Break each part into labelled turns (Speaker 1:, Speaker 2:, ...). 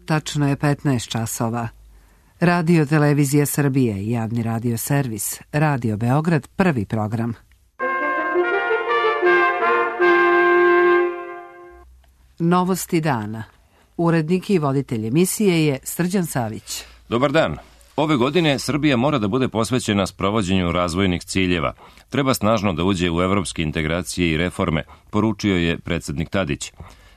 Speaker 1: tačno je 15 časova. Radio Televizija Srbije i javni radio servis, Radio Beograd, prvi program. Novosti dana. Urednik i voditelj emisije je Srđan Savić.
Speaker 2: Dobar dan. Ove godine Srbija mora da bude posvećena sprovođenju razvojnih ciljeva. Treba snažno da uđe u evropske integracije i reforme, poručio je predsednik Tadić.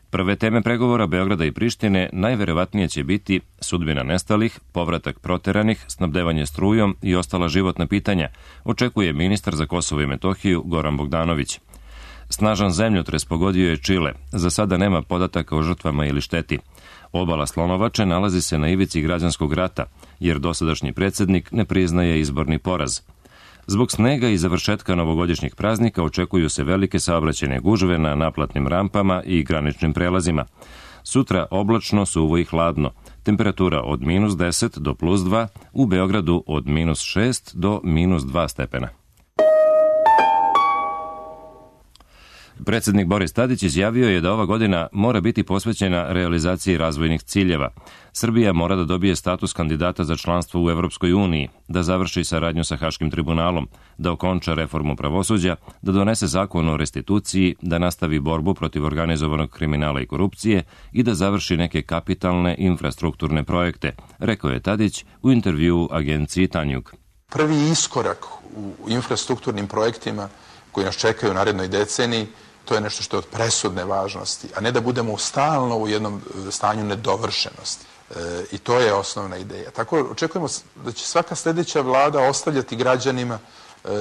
Speaker 2: Prve teme pregovora Beograda i Prištine najverovatnije će biti sudbina nestalih, povratak proteranih, snabdevanje strujom i ostala životna pitanja, očekuje ministar za Kosovo i Metohiju Goran Bogdanović. Snažan zemljotres pogodio je Čile. Za sada nema podataka o žrtvama ili šteti. Obala Slonovače nalazi se na ivici građanskog rata, jer dosadašnji predsednik ne priznaje izborni poraz. Zbog snega i završetka novogodišnjih praznika očekuju se velike saobraćajne gužve na naplatnim rampama i graničnim prelazima. Sutra oblačno, suvo i hladno. Temperatura od -10 do +2, u Beogradu od -6 do -2 stepena. Predsednik Boris Tadić izjavio je da ova godina mora biti posvećena realizaciji razvojnih ciljeva. Srbija mora da dobije status kandidata za članstvo u Evropskoj uniji, da završi saradnju sa Haškim tribunalom, da okonča reformu pravosuđa, da donese zakon o restituciji, da nastavi borbu protiv organizovanog kriminala i korupcije i da završi neke kapitalne infrastrukturne projekte, rekao je Tadić u intervjuu agenciji Tanjug.
Speaker 3: Prvi iskorak u infrastrukturnim projektima koji nas čekaju u narednoj deceniji, to je nešto što je od presudne važnosti, a ne da budemo stalno u jednom stanju nedovršenosti. I to je osnovna ideja. Tako očekujemo da će svaka sljedeća vlada ostavljati građanima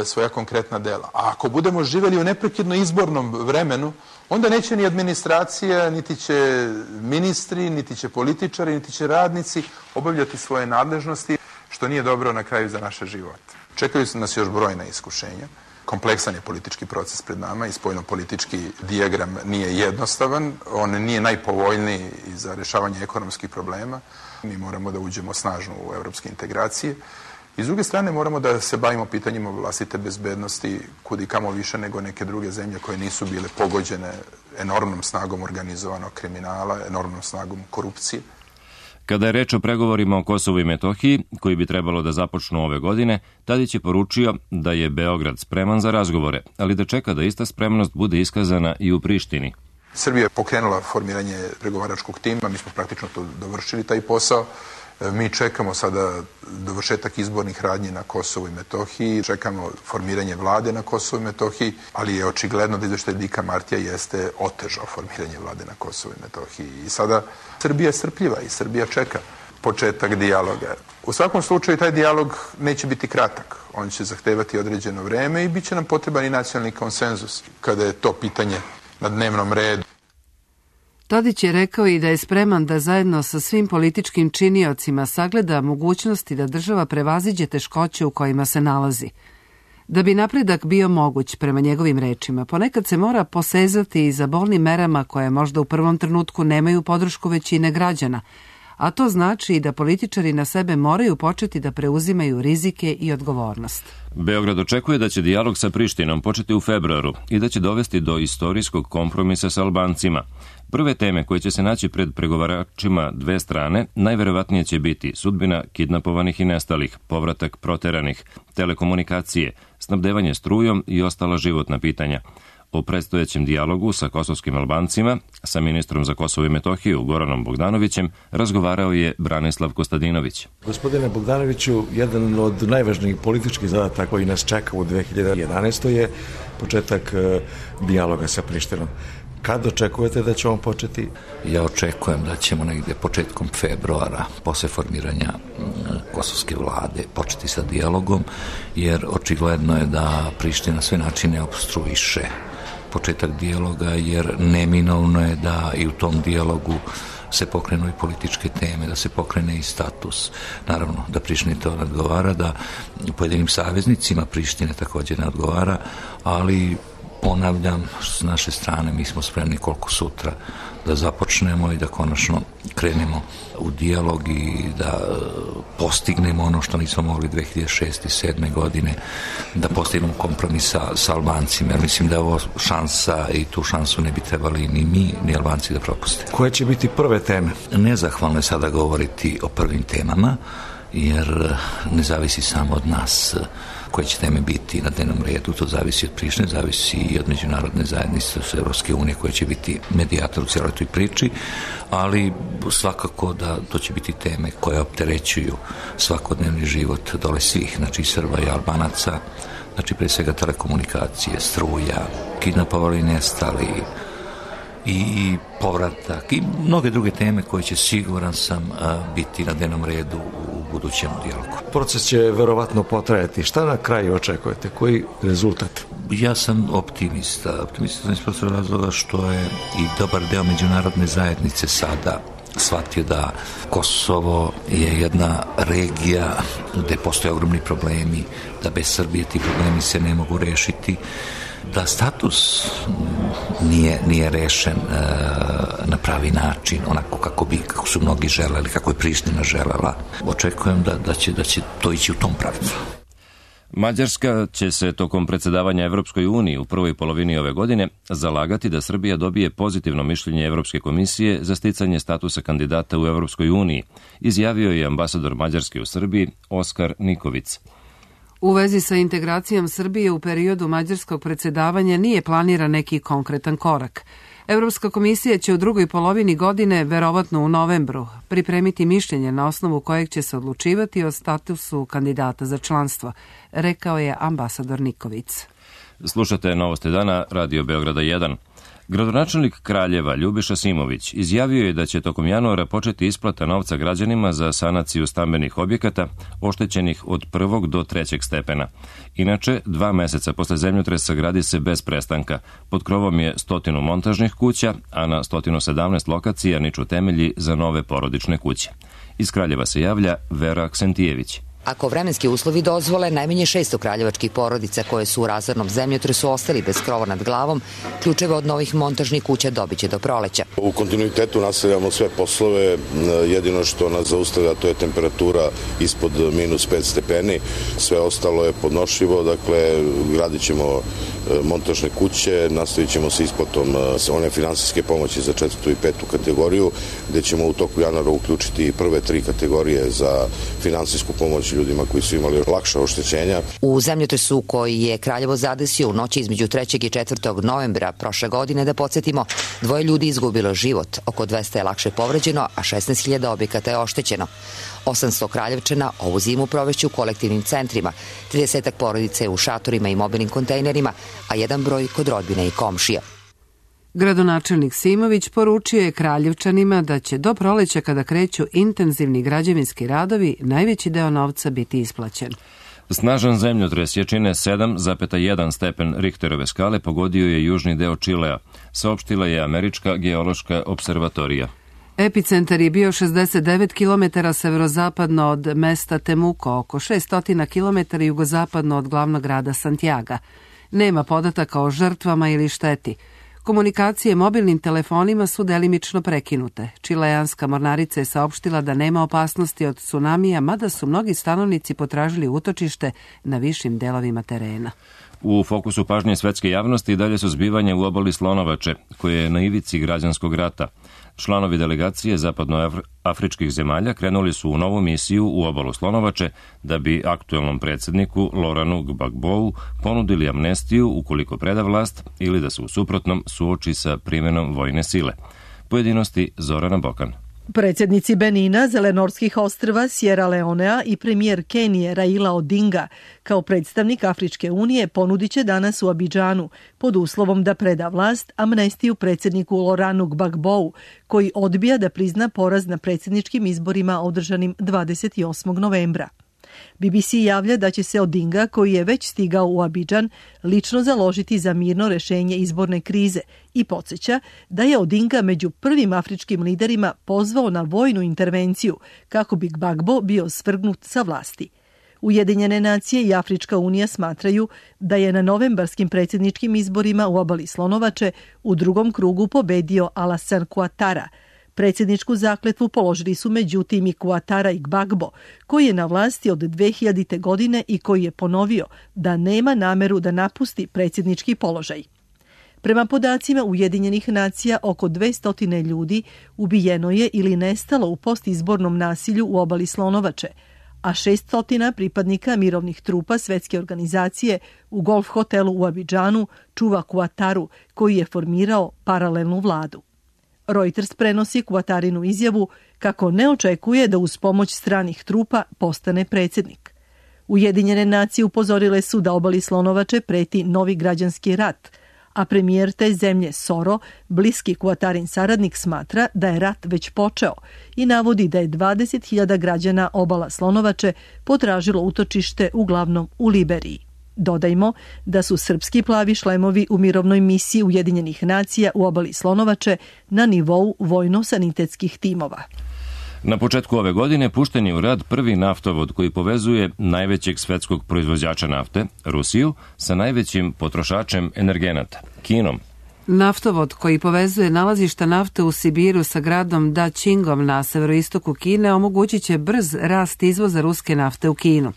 Speaker 3: svoja konkretna dela. A ako budemo živjeli u neprekidno izbornom vremenu, onda neće ni administracija, niti će ministri, niti će političari, niti će radnici obavljati svoje nadležnosti, što nije dobro na kraju za naše živote. Čekaju nas još brojna iskušenja. Kompleksan je politički proces pred nama i spoljno-politički dijagram nije jednostavan, on nije najpovoljniji za rješavanje ekonomskih problema. Mi moramo da uđemo snažno u evropske integracije i s druge strane moramo da se bavimo pitanjima vlastite bezbednosti kud i kamo više nego neke druge zemlje koje nisu bile pogođene enormnom snagom organizovanog kriminala, enormnom snagom korupcije.
Speaker 2: Kada je reč o pregovorima o Kosovu i Metohiji, koji bi trebalo da započnu ove godine, Tadić je poručio da je Beograd spreman za razgovore, ali da čeka da ista spremnost bude iskazana i u Prištini.
Speaker 3: Srbija je pokrenula formiranje pregovaračkog tima, mi smo praktično to dovršili taj posao. Mi čekamo sada dovršetak izbornih radnji na Kosovu i Metohiji, čekamo formiranje vlade na Kosovu i Metohiji, ali je očigledno da izveštaj Dika Martija jeste otežao formiranje vlade na Kosovu i Metohiji. I sada Srbija je strpljiva i Srbija čeka početak dijaloga. U svakom slučaju taj dijalog neće biti kratak. On će zahtevati određeno vreme i bit će nam potreban i nacionalni konsenzus kada je to pitanje na dnevnom redu.
Speaker 1: Tadić je rekao i da je spreman da zajedno sa svim političkim činiocima sagleda mogućnosti da država prevaziđe teškoće u kojima se nalazi. Da bi napredak bio moguć, prema njegovim rečima, ponekad se mora posezati i za bolnim merama koje možda u prvom trenutku nemaju podršku većine građana, a to znači i da političari na sebe moraju početi da preuzimaju rizike i odgovornost.
Speaker 2: Beograd očekuje da će dijalog sa Prištinom početi u februaru i da će dovesti do istorijskog kompromisa sa Albancima. Prve teme koje će se naći pred pregovaračima dve strane najverovatnije će biti sudbina kidnapovanih i nestalih, povratak proteranih, telekomunikacije, snabdevanje strujom i ostala životna pitanja. O predstojećem dijalogu sa kosovskim Albancima, sa ministrom za Kosovo i Metohiju Goranom Bogdanovićem, razgovarao je Branislav Kostadinović.
Speaker 4: Gospodine Bogdanoviću, jedan od najvažnijih političkih zadataka koji nas čeka u 2011. je početak dijaloga sa Prištinom. Kad očekujete da će on početi?
Speaker 5: Ja očekujem da ćemo negde početkom februara, posle formiranja kosovske vlade, početi sa dijalogom, jer očigledno je da Priština sve načine opstruiše početak dijaloga, jer neminovno je da i u tom dijalogu se pokrenu i političke teme, da se pokrene i status. Naravno da Prištini to ne odgovara, da pojedinim saveznicima Prištine također ne odgovara, ali ponavljam, s naše strane mi smo spremni koliko sutra da započnemo i da konačno krenemo u dijalog i da postignemo ono što nismo mogli 2006. i 2007. godine, da postignemo kompromis sa Albancima, jer mislim da je ovo šansa i tu šansu ne bi trebali ni mi, ni Albanci da propuste.
Speaker 4: Koje će biti prve teme?
Speaker 5: Nezahvalno je sada govoriti o prvim temama, jer ne zavisi samo od nas koje će teme biti na dnevnom redu, to zavisi od Prištine, zavisi i od međunarodne zajednice, od Evropske unije koja će biti medijator u cijeloj toj priči, ali svakako da to će biti teme koje opterećuju svakodnevni život dole svih, znači Srba i Albanaca, znači pre svega telekomunikacije, struja, kidnapovali i nestali, i povratak i mnoge druge teme koje će, siguran sam, biti na dnevnom redu u budućem dijalogu.
Speaker 4: Proces će verovatno potrajati. Šta na kraju očekujete? Koji rezultat?
Speaker 5: Ja sam optimista. Optimista sam iz prostog razloga što je i dobar deo međunarodne zajednice sada shvatio da Kosovo je jedna regija gde postoje ogromni problemi, da bez Srbije ti problemi se ne mogu rešiti, da status nije rešen na pravi način, onako kako su mnogi želeli, kako je Priština želela. Očekujem da će to ići u tom pravcu.
Speaker 2: Mađarska će se tokom predsedavanja Evropskoj uniji u prvoj polovini ove godine zalagati da Srbija dobije pozitivno mišljenje Evropske komisije za sticanje statusa kandidata u Evropskoj uniji, izjavio je ambasador Mađarske u Srbiji Oskar Nikovic.
Speaker 1: U vezi sa integracijom Srbije u periodu mađarskog predsedavanja nije planiran neki konkretan korak. Evropska komisija će u drugoj polovini godine, verovatno u novembru, pripremiti mišljenje na osnovu kojeg će se odlučivati o statusu kandidata za članstvo, rekao je ambasador Nikovic.
Speaker 2: Slušate Novosti dana, Radio Beograda 1. Gradonačelnik Kraljeva Ljubiša Simović izjavio je da će tokom januara početi isplata novca građanima za sanaciju stambenih objekata oštećenih od 1. do 3. stepena. Inače, 2 meseca posle zemljotresa gradi se bez prestanka. Pod krovom je 100 montažnih kuća, a na 117 lokacija niču temelji za nove porodične kuće. Iz Kraljeva se javlja Vera Aksentijević.
Speaker 6: Ako vremenski uslovi dozvole, najmanje 600 kraljevačkih porodica koje su u razornom zemljotresu ostali bez krova nad glavom, ključeve od novih montažnih kuća dobiće do proleća.
Speaker 7: U kontinuitetu nastavljamo sve poslove, jedino što nas zaustavlja to je temperatura ispod -5 stepeni, sve ostalo je podnošljivo, dakle gradit ćemo montažne kuće, nastavit ćemo sa isplatom one finansijske pomoći za 4. i 5. kategoriju, gde ćemo u toku januara uključiti prve 3 kategorije za finansijsku pomoć ljudima koji su imali lakša oštećenja.
Speaker 6: U zemljotresu koji je Kraljevo zadesio u noći između 3. i 4. novembra prošle godine, da podsjetimo, 2 ljudi izgubilo život, oko 200 je lakše povređeno, a 16.000 objekata je oštećeno. 800 Kraljevčana ovu zimu provešće u kolektivnim centrima, 30 porodice u šatorima i mobilnim kontejnerima, a jedan broj kod rodbine i komšija.
Speaker 1: Gradonačelnik Simović poručio je Kraljevčanima da će do proleća, kada kreću intenzivni građevinski radovi, najveći deo novca biti isplaćen.
Speaker 2: Snažan zemljotres jačine 7,1 stepen Richterove skale pogodio je južni deo Čilea, saopštila je Američka geološka observatorija.
Speaker 1: Epicentar je bio 69 km severozapadno od mesta Temuco, oko 600 km jugozapadno od glavnog grada Santiaga. Nema podataka o žrtvama ili šteti. Komunikacije mobilnim telefonima su delimično prekinute. Čileanska mornarica je saopštila da nema opasnosti od tsunamija, mada su mnogi stanovnici potražili utočište na višim delovima terena.
Speaker 2: U fokusu pažnje svetske javnosti dalje su zbivanja u obali Slonovače, koje je na ivici građanskog rata. Članovi delegacije zapadnoafričkih zemalja krenuli su u novu misiju u obalu Slonovače da bi aktuelnom predsjedniku Lauranu Gbagbou ponudili amnestiju ukoliko preda vlast ili da se u suprotnom suoči sa primenom vojne sile. Pojedinosti Zorana Bokan.
Speaker 8: Predsjednici Benina, Zelenorskih ostrva, Sierra Leonea i premijer Kenije Raila Odinga kao predstavnik Afričke unije ponudit će danas u Abidžanu pod uslovom da preda vlast amnestiju predsjedniku Lauranu Gbagbou, koji odbija da prizna poraz na predsjedničkim izborima održanim 28. novembra. BBC javlja da će se Odinga, koji je već stigao u Abidžan, lično založiti za mirno rešenje izborne krize i podsjeća da je Odinga među prvim afričkim liderima pozvao na vojnu intervenciju kako bi Gbagbo bio svrgnut sa vlasti. Ujedinjene nacije i Afrička unija smatraju da je na novembarskim predsjedničkim izborima u obali Slonovače u drugom krugu pobedio Alassane Ouattara. Predsjedničku zakletvu položili su međutim i Ouattara i Gbagbo, koji je na vlasti od 2000. godine i koji je ponovio da nema nameru da napusti predsjednički položaj. Prema podacima Ujedinjenih nacija, oko 200 ljudi ubijeno je ili nestalo u postizbornom nasilju u obali Slonovače, a 600 pripadnika mirovnih trupa Svetske organizacije u golf hotelu u Abidžanu čuva Ouattaru, koji je formirao paralelnu vladu. Reuters prenosi Ouattarinu izjavu kako ne očekuje da uz pomoć stranih trupa postane predsjednik. Ujedinjene nacije upozorile su da obali Slonovače preti novi građanski rat, a premijer te zemlje Soro, bliski Ouattarin saradnik, smatra da je rat već počeo i navodi da je 20.000 građana obala Slonovače potražilo utočište uglavnom u Liberiji. Dodajmo da su srpski plavi šlemovi u mirovnoj misiji Ujedinjenih nacija u obali Slonovače na nivou vojno-sanitetskih timova.
Speaker 2: Na početku ove godine pušten je u rad prvi naftovod koji povezuje najvećeg svetskog proizvođača nafte, Rusiju, sa najvećim potrošačem energenata, Kinom.
Speaker 1: Naftovod koji povezuje nalazišta nafte u Sibiru sa gradom Dačingom na severoistoku Kine omogućit će brz rast izvoza ruske nafte u Kinu.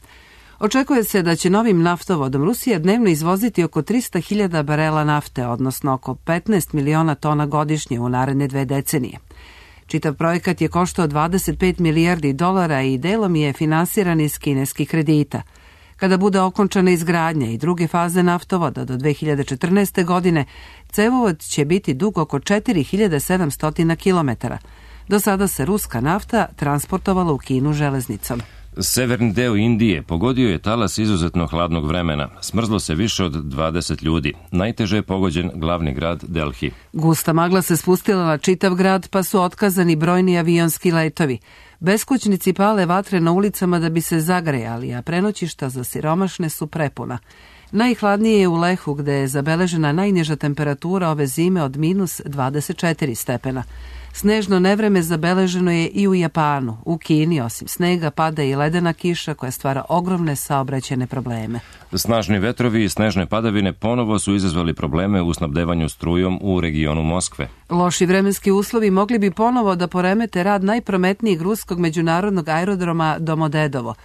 Speaker 1: Očekuje se da će novim naftovodom Rusija dnevno izvoziti oko 300.000 barela nafte, odnosno oko 15 miliona tona godišnje u naredne 2 decenije. Čitav projekat je koštao $25 milijardi i delom je finansiran iz kineskih kredita. Kada bude okončana izgradnja i druge faze naftovoda do 2014. godine, cevovod će biti dug oko 4700 km. Do sada se ruska nafta transportovala u Kinu železnicom.
Speaker 2: Severni deo Indije pogodio je talas izuzetno hladnog vremena. Smrzlo se više od 20 ljudi. Najteže je pogođen glavni grad Delhi.
Speaker 1: Gusta magla se spustila na čitav grad, pa su otkazani brojni avionski letovi. Beskućnici pale vatre na ulicama da bi se zagrejali, a prenoćišta za siromašne su prepuna. Najhladnije je u Lehu, gde je zabeležena najniža temperatura ove zime od minus 24 stepena. Snežno nevreme zabeleženo je i u Japanu. U Kini, osim snega, pada i ledena kiša koja stvara ogromne saobraćajne probleme.
Speaker 2: Snažni vetrovi i snežne padavine ponovo su izazvali probleme u snabdevanju strujom u regionu Moskve.
Speaker 1: Loši vremenski uslovi mogli bi ponovo da poremete rad najprometnijeg ruskog međunarodnog aerodroma Domodedovo.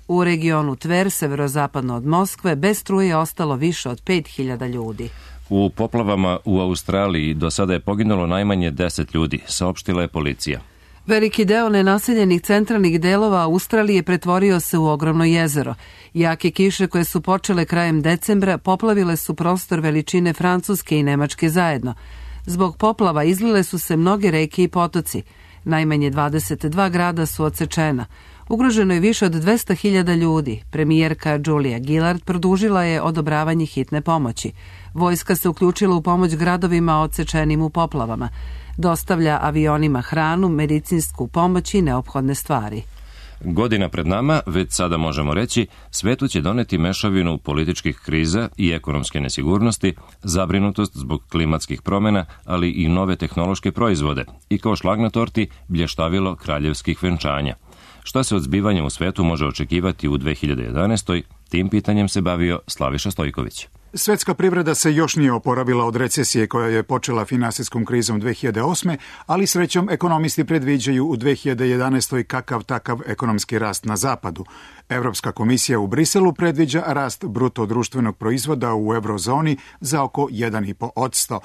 Speaker 1: U regionu Tver, severozapadno od Moskve, bez struje je ostalo više od 5.000 ljudi.
Speaker 2: U poplavama u Australiji do sada je poginulo najmanje 10 ljudi, saopštila je policija.
Speaker 1: Veliki deo nenaseljenih centralnih delova Australije pretvorio se u ogromno jezero. Jake kiše koje su počele krajem decembra poplavile su prostor veličine Francuske i Nemačke zajedno. Zbog poplava izlile su se mnoge reke i potoci. Najmanje 22 grada su odsečena. Ugroženo je više od 200.000 ljudi. Premijerka Julia Gillard produžila je odobravanje hitne pomoći. Vojska se uključila u pomoć gradovima odsečenim u poplavama. Dostavlja avionima hranu, medicinsku pomoć i neophodne stvari.
Speaker 2: Godina pred nama, već sada možemo reći, svetu će doneti mešavinu političkih kriza i ekonomske nesigurnosti, zabrinutost zbog klimatskih promjena, ali i nove tehnološke proizvode i kao šlag na torti blještavilo kraljevskih venčanja. Šta se od zbivanja u svetu može očekivati u 2011. Tim pitanjem se bavio Slaviša Stojković.
Speaker 9: Svetska privreda se još nije oporavila od recesije koja je počela finansijskom krizom 2008. ali srećom ekonomisti predviđaju u 2011. kakav takav ekonomski rast na zapadu. Evropska komisija u Briselu predviđa rast bruto društvenog proizvoda u eurozoni za oko 1,5%.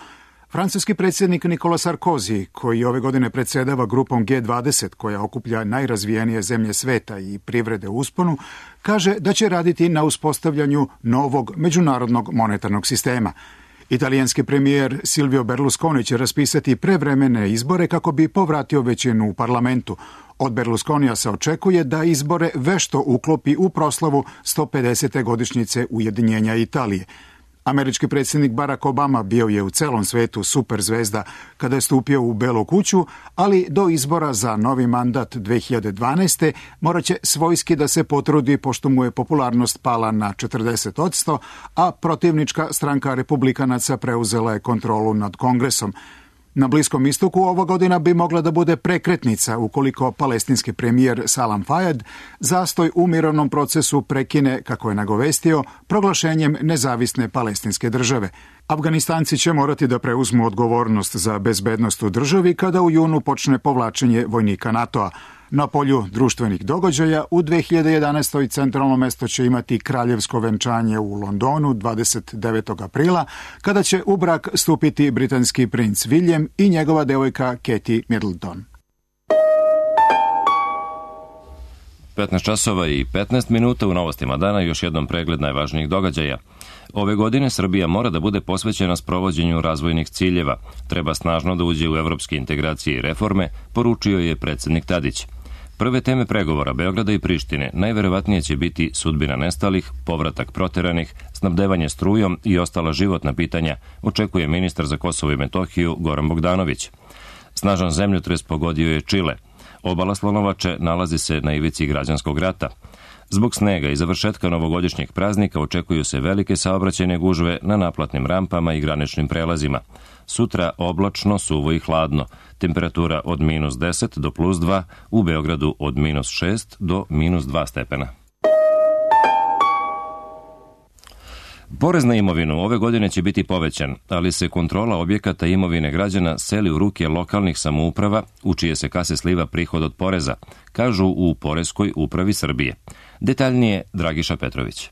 Speaker 9: Francuski predsjednik Nicolas Sarkozy, koji ove godine predsjedava grupom G20, koja okuplja najrazvijenije zemlje sveta i privrede u usponu, kaže da će raditi na uspostavljanju novog međunarodnog monetarnog sistema. Italijanski premijer Silvio Berlusconi će raspisati prevremene izbore kako bi povratio većinu u parlamentu. Od Berlusconija se očekuje da izbore vešto uklopi u proslavu 150. godišnjice ujedinjenja Italije. Američki predsjednik Barack Obama bio je u celom svetu superzvezda kada je stupio u Belu kuću, ali do izbora za novi mandat 2012. morat će svojski da se potrudi pošto mu je popularnost pala na 40%, a protivnička stranka republikanaca preuzela je kontrolu nad Kongresom. Na Bliskom istoku ova godina bi mogla da bude prekretnica ukoliko palestinski premijer Salam Fayyad zastoj u mirovnom procesu prekine, kako je nagovestio, proglašenjem nezavisne palestinske države. Afganistanci će morati da preuzmu odgovornost za bezbednost u državi kada u junu počne povlačenje vojnika NATO-a. Na polju društvenih događaja u 2011. centralno mesto će imati kraljevsko venčanje u Londonu 29. aprila, kada će u brak stupiti britanski princ William i njegova devojka Katie Middleton.
Speaker 2: 15 časova i 15 minuta u novostima dana, još jednom pregled najvažnijih događaja. Ove godine Srbija mora da bude posvećena sprovođenju razvojnih ciljeva. Treba snažno da uđe u evropske integracije i reforme, poručio je predsednik Tadić. Prve teme pregovora Beograda i Prištine najverovatnije će biti sudbina nestalih, povratak proteranih, snabdevanje strujom i ostala životna pitanja, očekuje ministar za Kosovo i Metohiju Goran Bogdanović. Snažan zemljotres pogodio je Čile. Obala Slonovače nalazi se na ivici građanskog rata. Zbog snega i završetka novogodišnjeg praznika očekuju se velike saobraćajne gužve na naplatnim rampama i graničnim prelazima. Sutra oblačno, suvo i hladno. Temperatura od -10 do +2, u Beogradu od -6 do -2 stepena. Porez na imovinu ove godine će biti povećan, ali se kontrola objekata imovine građana seli u ruke lokalnih samouprava, u čije se kase sliva prihod od poreza, kažu u Poreskoj upravi Srbije. Detaljnije Dragiša Petrović.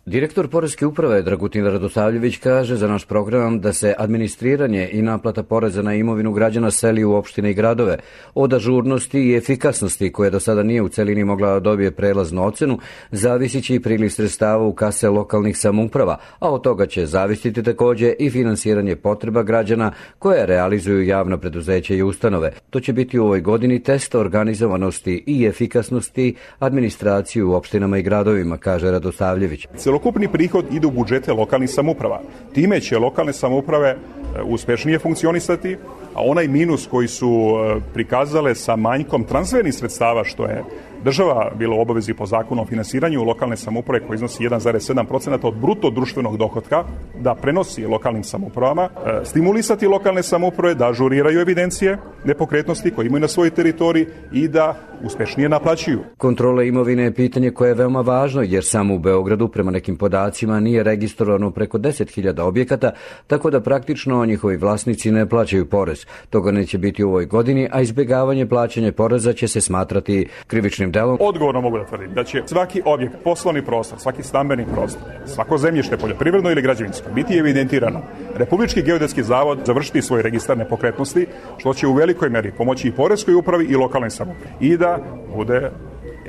Speaker 10: Direktor Poreske uprave Dragutin Radosavljević kaže za naš program da se administriranje i naplata poreza na imovinu građana seli u opštine i gradove. Od ažurnosti i efikasnosti, koja do sada nije u celini mogla da dobije prelaznu ocenu, zavisit će i priliv sredstava u kase lokalnih samouprava, a od toga će zavisiti takođe i finansiranje potreba građana koje realizuju javna preduzeća i ustanove. To će biti u ovoj godini test organizovanosti i efikasnosti administracije u opštinama i gradovima, kaže Radosavljević.
Speaker 11: Celokupni prihod ide u budžete lokalnih samouprava. Time će lokalne samouprave uspešnije funkcionisati, a onaj minus koji su prikazale sa manjkom transfernih sredstava, što je država bila u obavezi po zakonu o finansiranju lokalne samouprave koji iznosi 1,7% od bruto društvenog dohotka, da prenosi lokalnim samoupravama, stimulisati lokalne samouprave da ažuriraju evidencije nepokretnosti koje imaju na svojoj teritoriji i da uspešnije naplaćuju.
Speaker 10: Kontrola imovine je pitanje koje je veoma važno, jer samo u Beogradu prema nekim podacima nije registrovano preko 10.000 objekata, tako da praktično njihovi vlasnici ne plaćaju porez. Toga neće biti u ovoj godini, a izbjegavanje plaćanja poreza će se smatrati krivičnim delom.
Speaker 11: Odgovorno mogu da tvrdim da će svaki objekt, poslovni prostor, svaki stambeni prostor, svako zemljište, poljoprivredno ili građevinsko, biti evidentirano. Republički geodetski zavod završiti svoj registar nepokretnosti, što će u velikoj meri pomoći i Poreskoj upravi i lokalnoj samoupravi i da bude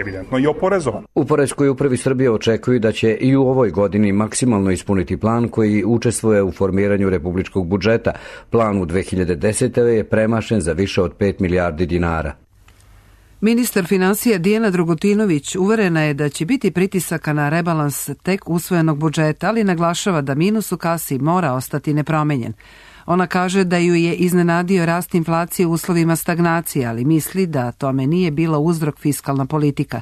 Speaker 11: evidentno i oporezovan.
Speaker 10: U Poreskoj upravi Srbije očekuju da će i u ovoj godini maksimalno ispuniti plan koji učestvuje u formiranju republičkog budžeta. Plan u 2010. je premašen za više od 5 milijardi dinara.
Speaker 1: Ministar finansija Dijana Dragutinović uverena je da će biti pritisaka na rebalans tek usvojenog budžeta, ali naglašava da minus u kasi mora ostati nepromenjen. Ona kaže da ju je iznenadio rast inflacije u uslovima stagnacije, ali misli da tome nije bila uzrok fiskalna politika.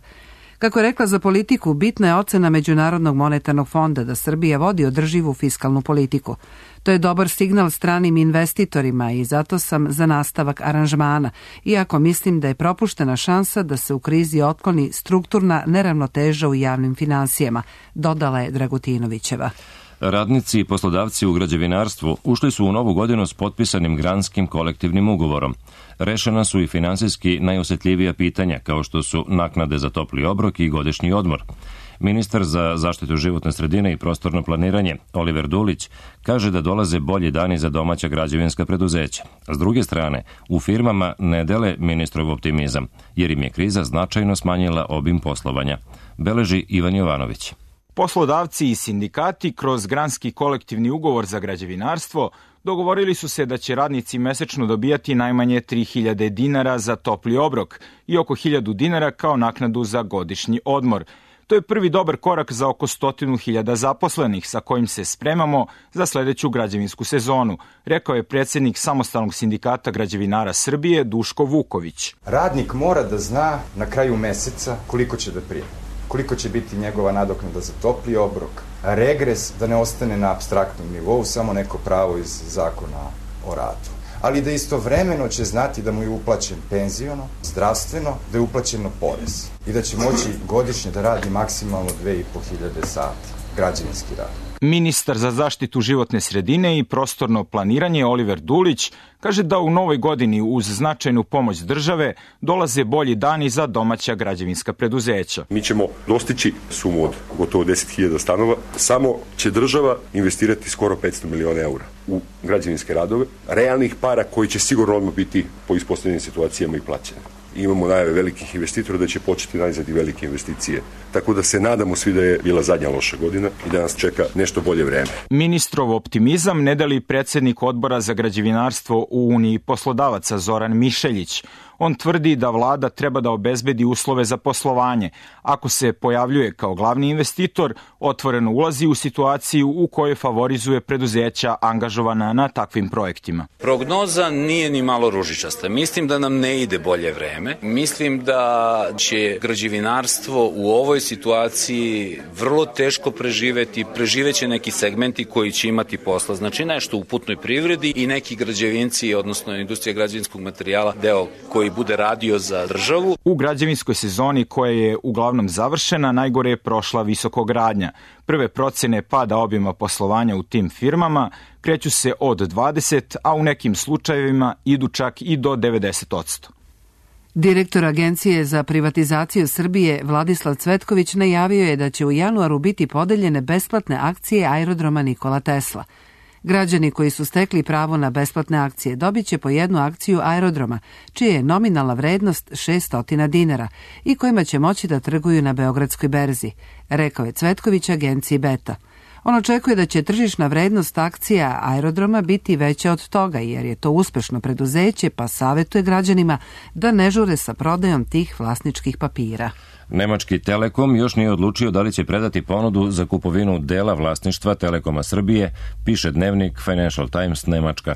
Speaker 1: Kako je rekla za politiku, bitna je ocena Međunarodnog monetarnog fonda da Srbija vodi održivu fiskalnu politiku. To je dobar signal stranim investitorima i zato sam za nastavak aranžmana, iako mislim da je propuštena šansa da se u krizi otkloni strukturna neravnoteža u javnim finansijama, dodala je Dragutinovićeva.
Speaker 2: Radnici i poslodavci u građevinarstvu ušli su u novu godinu s potpisanim granskim kolektivnim ugovorom. Rešena su i finansijski najosetljivija pitanja, kao što su naknade za topli obrok i godišnji odmor. Ministar za zaštitu životne sredine i prostorno planiranje, Oliver Dulić, kaže da dolaze bolji dani za domaća građevinska preduzeća. S druge strane, u firmama ne dele ministrov optimizam, jer im je kriza značajno smanjila obim poslovanja. Beleži Ivan Jovanović.
Speaker 12: Poslodavci i sindikati kroz granski kolektivni ugovor za građevinarstvo dogovorili su se da će radnici mesečno dobijati najmanje 3.000 dinara za topli obrok i oko 1.000 dinara kao naknadu za godišnji odmor. To je prvi dobar korak za oko 100.000 zaposlenih sa kojim se spremamo za sledeću građevinsku sezonu, rekao je predsjednik Samostalnog sindikata građevinara Srbije Duško Vuković.
Speaker 13: Radnik mora da zna na kraju meseca koliko će da primi, koliko će biti njegova nadoknada za topli obrok, regres da ne ostane na apstraktnom nivou, samo neko pravo iz zakona o radu. ali da istovremeno će znati da mu je uplaćen penziono, zdravstveno, da je uplaćeno porez i da će moći godišnje da radi maksimalno 2500 sati građevinski rad.
Speaker 12: Ministar za zaštitu životne sredine i prostorno planiranje Oliver Dulić kaže da u novoj godini uz značajnu pomoć države dolaze bolji dani za domaća građevinska preduzeća.
Speaker 14: Mi ćemo dostići sumu od gotovo 10.000 stanova, samo će država investirati skoro 500 miliona eura u građevinske radove, realnih para koji će sigurno odmah biti po ispostavljenim situacijama i plaćene. Imamo najave velikih investitora da će početi najzad i velike investicije. Tako da se nadamo svi da je bila zadnja loša godina i da nas čeka nešto bolje vreme.
Speaker 12: Ministrov optimizam ne deli predsjednik odbora za građevinarstvo u Uniji poslodavaca Zoran Mišeljić. On tvrdi da vlada treba da obezbedi uslove za poslovanje. Ako se pojavljuje kao glavni investitor, otvoreno ulazi u situaciju u kojoj favorizuje preduzeća angažovana na takvim projektima.
Speaker 15: Prognoza nije ni malo ružičasta. Mislim da nam ne ide bolje vreme. Mislim da će građevinarstvo u ovoj situaciji vrlo teško preživeti. Preživeće neki segmenti koji će imati posla. Znači nešto u putnoj privredi i neki građevinci, odnosno industrija građevinskog materijala, deo koji bude radio za državu.
Speaker 12: U građevinskoj sezoni koja je uglavnom završena, najgore je prošla visokogradnja. Prve procene pada obima poslovanja u tim firmama kreću se od 20, a u nekim slučajevima idu čak i do 90%.
Speaker 1: Direktor Agencije za privatizaciju Srbije Vladislav Cvetković najavio je da će u januaru biti podeljene besplatne akcije aerodroma Nikola Tesla. Građani koji su stekli pravo na besplatne akcije dobit će po jednu akciju aerodroma, čija je nominalna vrednost 600 dinara i kojima će moći da trguju na Beogradskoj berzi, rekao je Cvetković agenciji Beta. On očekuje da će tržišna vrednost akcija aerodroma biti veća od toga, jer je to uspešno preduzeće, pa savjetuje građanima da ne žure sa prodajom tih vlasničkih papira.
Speaker 2: Nemački Telekom još nije odlučio da li će predati ponudu za kupovinu dela vlasništva Telekoma Srbije, piše dnevnik Financial Times Nemačka.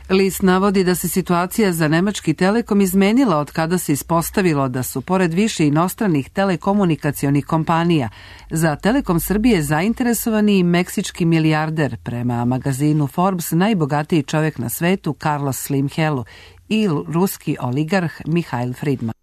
Speaker 1: List navodi da se situacija za nemački Telekom izmenila od kada se ispostavilo da su, pored više inostranih telekomunikacionih kompanija, za Telekom Srbije zainteresovani i meksički milijarder, prema magazinu Forbes najbogatiji čovjek na svetu Carlos Slim Helu i ruski oligarh Mihail Fridman.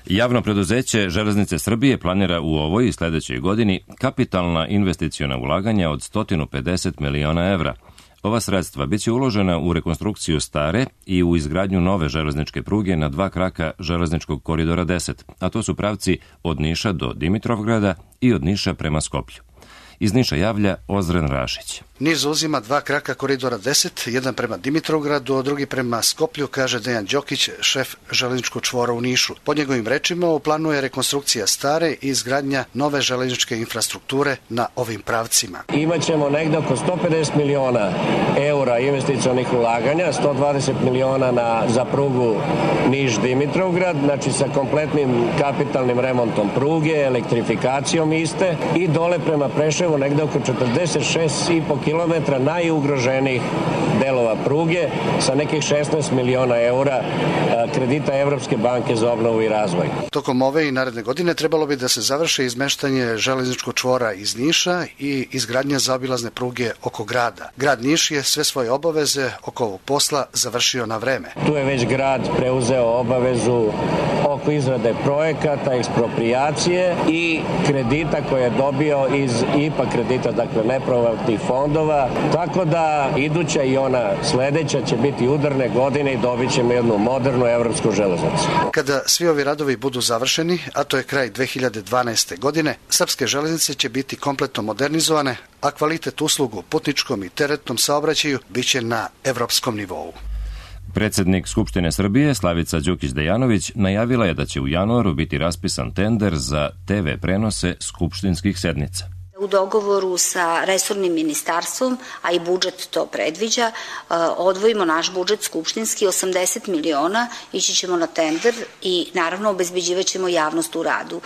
Speaker 2: Javno preduzeće Železnice Srbije planira u ovoj i sledećoj godini kapitalna investiciona ulaganja od 150 miliona evra. Ova sredstva biće uložena u rekonstrukciju stare i u izgradnju nove železničke pruge na 2 kraka železničkog koridora 10, a to su pravci od Niša do Dimitrovgrada i od Niša prema Skoplju. Iz Niša javlja Ozren Rašić.
Speaker 16: Niš zauzima 2 kraka koridora 10, jedan prema Dimitrovgradu, a drugi prema Skoplju, kaže Dejan Đokić, šef železničkog čvora u Nišu. Po njegovim rečima u planu je rekonstrukcija stare i izgradnja nove železničke infrastrukture na ovim pravcima.
Speaker 17: Imaćemo negde oko 150 miliona eura investicionih ulaganja, 120 miliona za prugu Niš-Dimitrovgrad, znači sa kompletnim kapitalnim remontom pruge, elektrifikacijom iste i dole prema Preševu negde oko 46,5 kilometra najugroženijih delova pruge sa nekih 16 miliona eura kredita Evropske banke za obnovu i razvoj.
Speaker 16: Tokom ove i naredne godine trebalo bi da se završi izmeštanje železničkog čvora iz Niša i izgradnja zaobilazne pruge oko grada. Grad Niš je sve svoje obaveze oko ovog posla završio na vreme.
Speaker 17: Tu je već grad preuzeo obavezu oko izrade projekata, eksproprijacije i kredita koje je dobio iz IPA kredita, dakle nepovratnih fondova, tako da iduća i ona sledeća će biti udarne godine i dobit ćemo jednu modernu evropsku železnicu.
Speaker 16: Kada svi ovi radovi budu završeni, a to je kraj 2012. godine, srpske železnice će biti kompletno modernizovane, a kvalitet uslugu u putničkom i teretnom saobraćaju biće na evropskom nivou.
Speaker 2: Predsednik Skupštine Srbije Slavica Đukić-Dejanović najavila je da će u januaru biti raspisan tender za TV prenose skupštinskih sednica.
Speaker 18: U dogovoru sa resornim ministarstvom, a i budžet to predviđa, odvojimo naš budžet skupštinski 80 miliona, ići ćemo na tender i naravno obezbeđivat ćemo javnost u radu.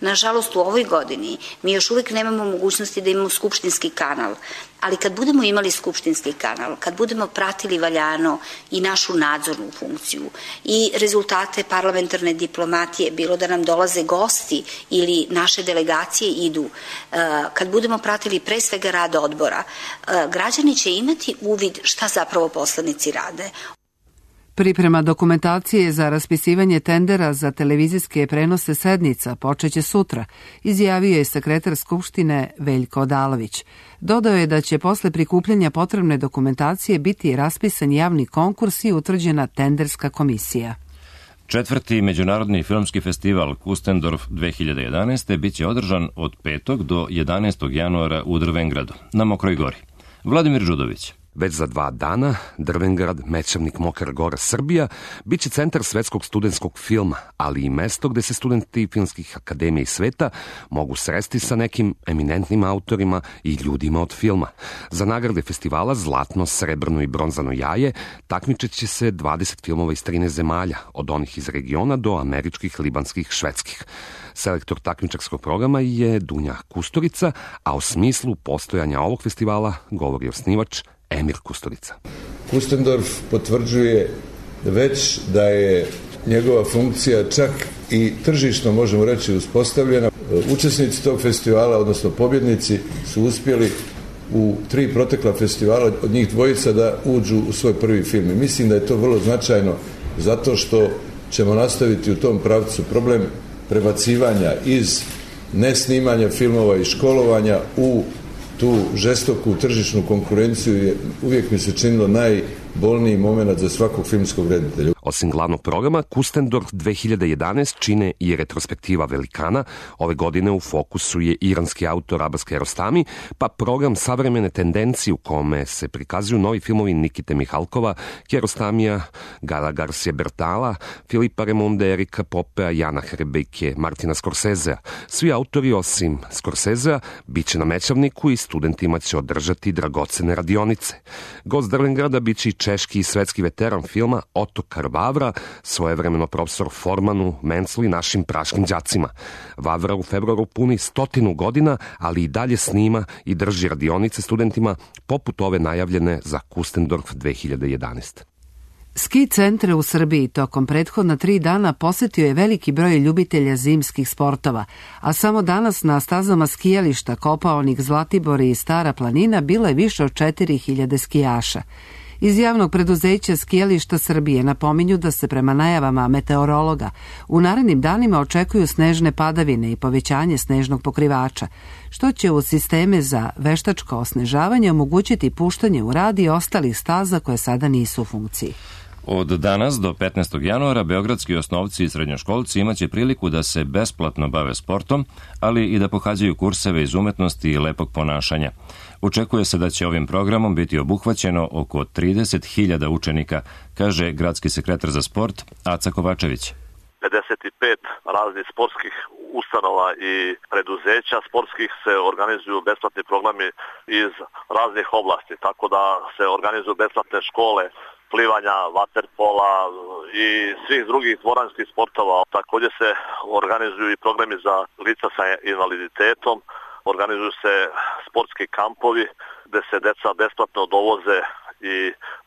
Speaker 18: Nažalost, u ovoj godini mi još uvijek nemamo mogućnosti da imamo skupštinski kanal, ali kad budemo imali skupštinski kanal, kad budemo pratili valjano i našu nadzornu funkciju i rezultate parlamentarne diplomatije, bilo da nam dolaze gosti ili naše delegacije idu, kad budemo pratili pre svega rad odbora, građani će imati uvid šta zapravo poslanici rade.
Speaker 1: Priprema dokumentacije za raspisivanje tendera za televizijske prenose sednica počeće sutra, izjavio je sekretar Skupštine Veljko Odalović. Dodao je da će posle prikupljanja potrebne dokumentacije biti raspisan javni konkurs i utvrđena tenderska komisija.
Speaker 2: 4. Međunarodni filmski festival Kustendorf 2011. biće održan od 5. do 11. januara u Drvengradu, na Mokroj gori. Vladimir Đudović.
Speaker 19: Već za 2 dana Drvengrad, Mećavnik, Mokra Gora, Srbija biće centar svetskog studentskog filma, ali i mesto gde se studenti filmskih akademija i sveta mogu sresti sa nekim eminentnim autorima i ljudima od filma. Za nagrade festivala Zlatno, Srebrno i Bronzano jaje takmičit će se 20 filmova iz 13 zemalja, od onih iz regiona do američkih, libanskih, švedskih. Selektor takmičarskog programa je Dunja Kusturica, a o smislu postojanja ovog festivala govori osnivač Emir Kusturica.
Speaker 20: Kustendorf potvrđuje već da je njegova funkcija čak i tržišno, možemo reći, uspostavljena. Učesnici tog festivala, odnosno pobjednici, su uspjeli u 3 protekla festivala, od njih 2 da uđu u svoj prvi film. I mislim da je to vrlo značajno zato što ćemo nastaviti u tom pravcu. Problem prebacivanja iz nesnimanja filmova i školovanja u tu žestoku tržišnu konkurenciju je uvijek mi se činilo najbolniji moment za svakog filmskog reditelja.
Speaker 19: Osim glavnog programa, Kustendorf 2011 čine i retrospektiva velikana. Ove godine u fokusu je iranski autor Abbas Kiarostami, pa program savremene tendencije u kome se prikazuju novi filmovi Nikite Mihalkova, Kiarostamija, Gaela Garcia Bertala, Filipa Remonda, Erika Popea, Jana Hrebejke, Martina Scorsesea. Svi autori osim Scorsesea biće na Mećavniku i studentima će održati dragocene radionice. Gost Drvengrada biće i češki i svetski veteran filma Ottokar Vavra, svojevremeno profesor Formanu, Menclu i našim praškim đacima. Vavra u februaru puni 100 godina, ali i dalje snima i drži radionice studentima poput ove najavljene za Kustendorf 2011.
Speaker 1: Ski centre u Srbiji tokom prethodna 3 dana posetio je veliki broj ljubitelja zimskih sportova, a samo danas na stazama skijališta Kopaonik, Zlatibor i Stara planina bilo je više od 4000 skijaša. Iz javnog preduzeća Skijališta Srbije napominju da se prema najavama meteorologa u narednim danima očekuju snežne padavine i povećanje snežnog pokrivača, što će u sisteme za veštačko osnežavanje omogućiti puštanje u rad i ostalih staza koje sada nisu u funkciji.
Speaker 2: Od danas do 15. januara beogradski osnovci i srednjoškolci imaće priliku da se besplatno bave sportom, ali i da pohađaju kurseve iz umetnosti i lepog ponašanja. Očekuje se da će ovim programom biti obuhvaćeno oko 30.000 učenika, kaže gradski sekretar za sport Aca Kovačević.
Speaker 21: 55 raznih sportskih ustanova i preduzeća sportskih se organizuju besplatni programi iz raznih oblasti, tako da se organizuju besplatne škole, plivanja, vaterpola i svih drugih dvoranskih sportova. Također se organizuju i programi za lica sa invaliditetom, organizuju se sportski kampovi gde se deca besplatno dovoze i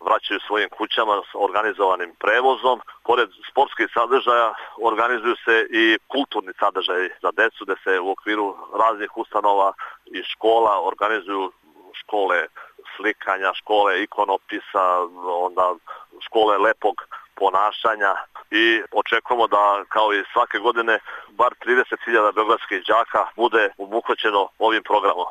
Speaker 21: vraćaju svojim kućama s organizovanim prevozom. Pored sportskih sadržaja organizuju se i kulturni sadržaji za decu gde se u okviru raznih ustanova i škola organizuju škole slikanja, škole ikonopisa, onda škole lepog ponašanja i očekujemo da kao i svake godine bar 30.000 beogradskih đaka bude obuhvaćeno ovim programom.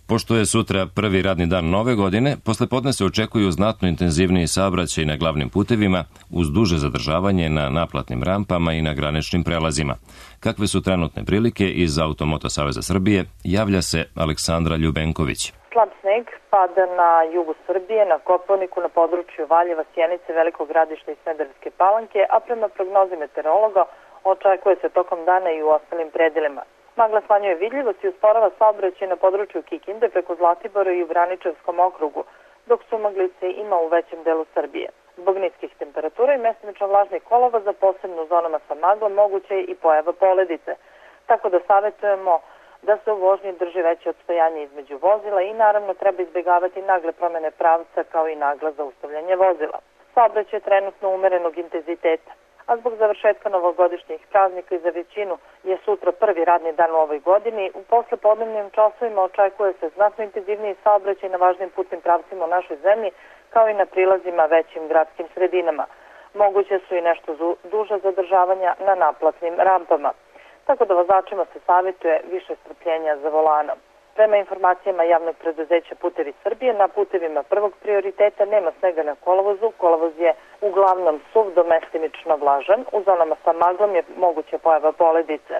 Speaker 2: Pošto je sutra prvi radni dan nove godine, poslepodne se očekuju znatno intenzivniji saobraćaj na glavnim putevima uz duže zadržavanje na naplatnim rampama i na graničnim prelazima. Kakve su trenutne prilike iz Automoto Saveza Srbije, javlja se Aleksandra Ljubenković.
Speaker 22: Slab sneg pada na jugu Srbije, na Kopaoniku, na području Valjeva, Sjenice, Velikog Gradišta i Smederevske Palanke, a prema prognozi meteorologa očekuje se tokom dana i u ostalim predelima. Magla smanjuje vidljivost i usporava saobraćaj na području Kikinde preko Zlatibora i u Braničevskom okrugu, dok su maglice ima u većem delu Srbije. Zbog niskih temperatura i mestimično vlažnih kolova za posebno u zonama sa maglom moguće je i pojava poledice. Tako da savjetujemo da se u vožnji drži veće odstojanje između vozila i naravno treba izbjegavati nagle promjene pravca kao i nagla zaustavljanje vozila. Saobraćaj je trenutno umerenog intenziteta, a zbog završetka novogodišnjih praznika i za većinu je sutra prvi radni dan u ovoj godini. U poslepodnevnim časovima očekuje se znatno intenzivniji saobraćaj na važnim putnim pravcima u našoj zemlji, kao i na prilazima većim gradskim sredinama. Moguće su i nešto duža zadržavanja na naplatnim rampama. Tako da vozačima se savjetuje više strpljenja za volanom. Prema informacijama javnog preduzeća Putevi Srbije, na putevima prvog prioriteta nema snega na kolovozu. Kolovoz je uglavnom suv do mestimično vlažan. U zonama sa maglom je moguća pojava poledice.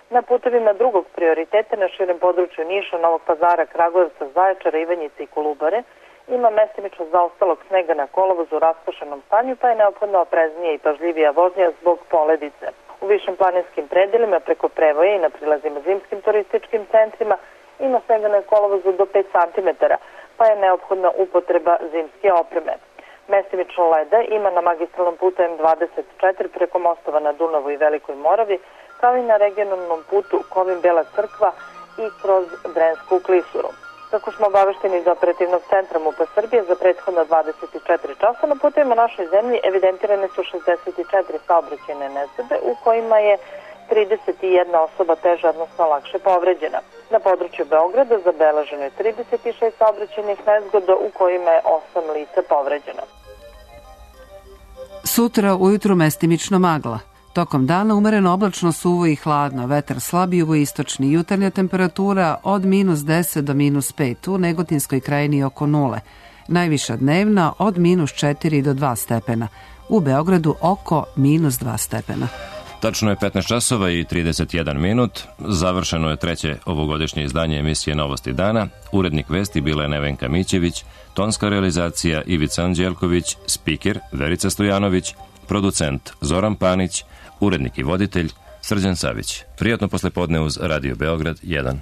Speaker 22: Na putevima drugog prioriteta na širem području Niša, Novog Pazara, Kragujevca, Zaječara, Ivanjice i Kolubare ima mestimično zaostalog snega na kolovozu u raspršenom stanju, pa je neophodno opreznije i pažljivija vožnja zbog poledice. U višim planinskim predelima preko Prevoja i na prilazima zimskim turističkim centrima ima snega na kolovozu do 5 cm, pa je neophodna upotreba zimske opreme. Mestimično leda ima na magistralnom putu M24 preko mostova na Dunavu i Velikoj Moravi, kao i na regionalnom putu Kovin-Bela Crkva i kroz Drensku klisuru. Kako smo obavešteni iz operativnog centra MUP-a Srbije, za prethodno 24 časa na putevima našoj zemlji evidentirane su 64 saobraćajne nezgode u kojima je 31 osoba teža, odnosno lakše povređena. Na području Beograda zabeleženo je 36 saobraćajnih nezgoda u kojima je 8 lica povređeno.
Speaker 1: Sutra ujutru mestimično magla. Tokom dana umereno oblačno, suvo i hladno, vetar slab jugoistočni, jutarnja temperatura od -10 do -5, u Negotinskoj krajini oko 0, najviša dnevna od -4 do 2 stepena, u Beogradu oko -2 stepena.
Speaker 2: Tačno je 15 časova i 31 minut. Završeno je treće ovogodišnje izdanje emisije Novosti dana. Urednik vesti bila je Nevenka Mićević, tonska realizacija Ivica Anđelković, spiker Verica Stojanović, producent Zoran Panić, urednik i voditelj Srđan Savić. Prijatno poslepodne uz Radio Beograd 1.